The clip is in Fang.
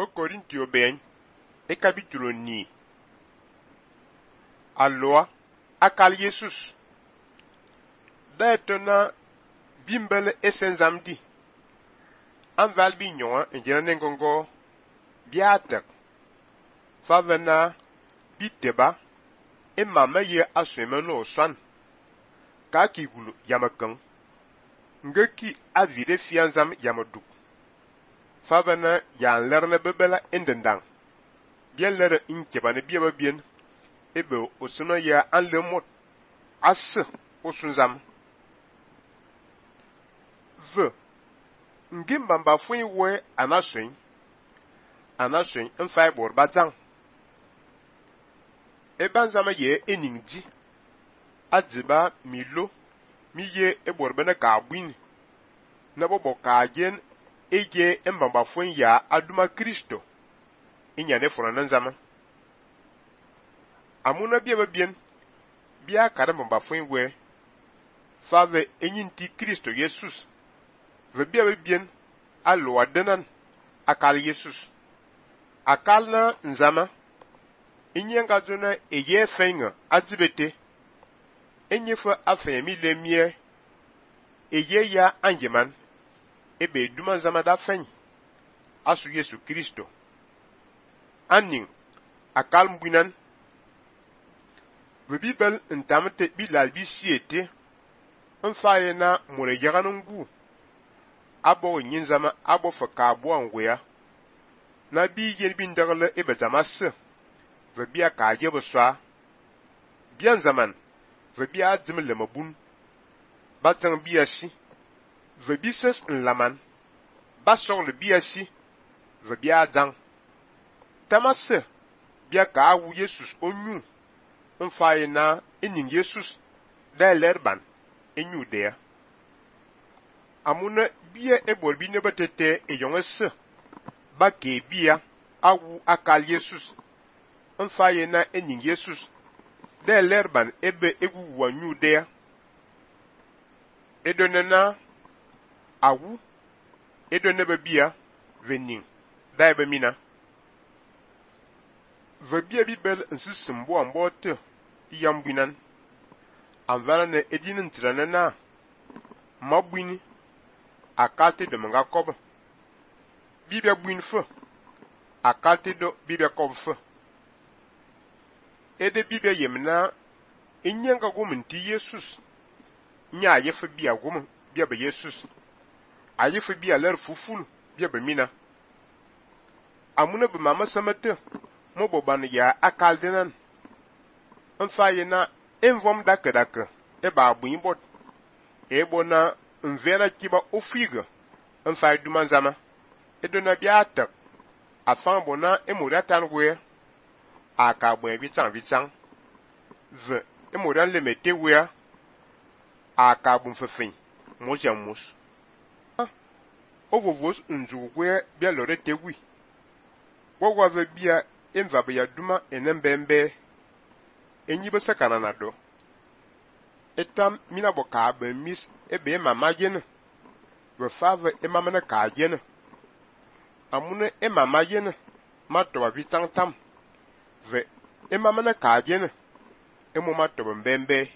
O Corinthians ben, e capítulo ni. Aloa, akal Jesus. Da etona bimbele esenzamdi. Anval binyon en jena nengongo biatek. Favena biteba e mama ye asweme no swan. Ka kigulu yamakang. Ngeki avire fianzam yamaduk. Favena yan lerne bebela endendang. Bien lere inkebane biaba bien. Ebe osuna ya anlemot asse osunzam. Ve ngimba fuen we anaswen mfai bor bazang. Ebanzama ye eningdi adiba milo miye eborbene ka buin na bobo ka gen eje mbamba fuen ya aduma Kristo inyane forana nzama. Amuna biaba bien bia kada mbamba fuen we fave enyinti Kristo Jesus. Ve biaba bien alo adenan akal Jesus. Akal na nzama inyenga zona eye fenga azibete enyefa afemi lemie eye ya anjeman ebe duma zama da fen asu Yesu Kristo aning akal mbuinan ve bibel ntamte bilal bisiete mfaye na mure yaganungu abo nyinzama abo faka abo anwea na bi yen bindagle ebe zamase ve bia ka jebe swa bien zaman ve bia dim le mabun batang biasi ve bises nlaman basor le biasi ve bia dang tamase bia ka awu Jesus onyu mfaye na enin Jesus da lerban enyu de amuna bia eborbi ne batete eyongese ba ke bia awu akal Jesus mfaye na enin Jesus da lerban ebe egu wanyu de edonena awu edonebe bia venin da ebe mina ve bia bibel nsisimbo ambote iyambinan anvana ne edinin ntirana na mabwini akalte de manga kob bibia bwin fe akalte do bibia kob fe ede bibia yemna inyenga guminti Jesus nya yefe bia gum bia be Jesus ayefe bia ler fuful bia be mina amuna be mama samete moboban ya akaldenan mfaye na envom dakadaka eba abuin bot ebo na mvena kiba ofiga mfaye dumanzama edona biata afan bona emuratan we aka bwen vitan ze emuran le mete we aka bun fefin mojamus ovovos nzugwe bia lore tewi wogwa ve bia enva be ya duma enembembe enyibe sakana na do etam mina boka be mis ebe mama yen we fave emamana ka yen amune emama yen mato vitan tam ve emamana ka yen emu mato mbembe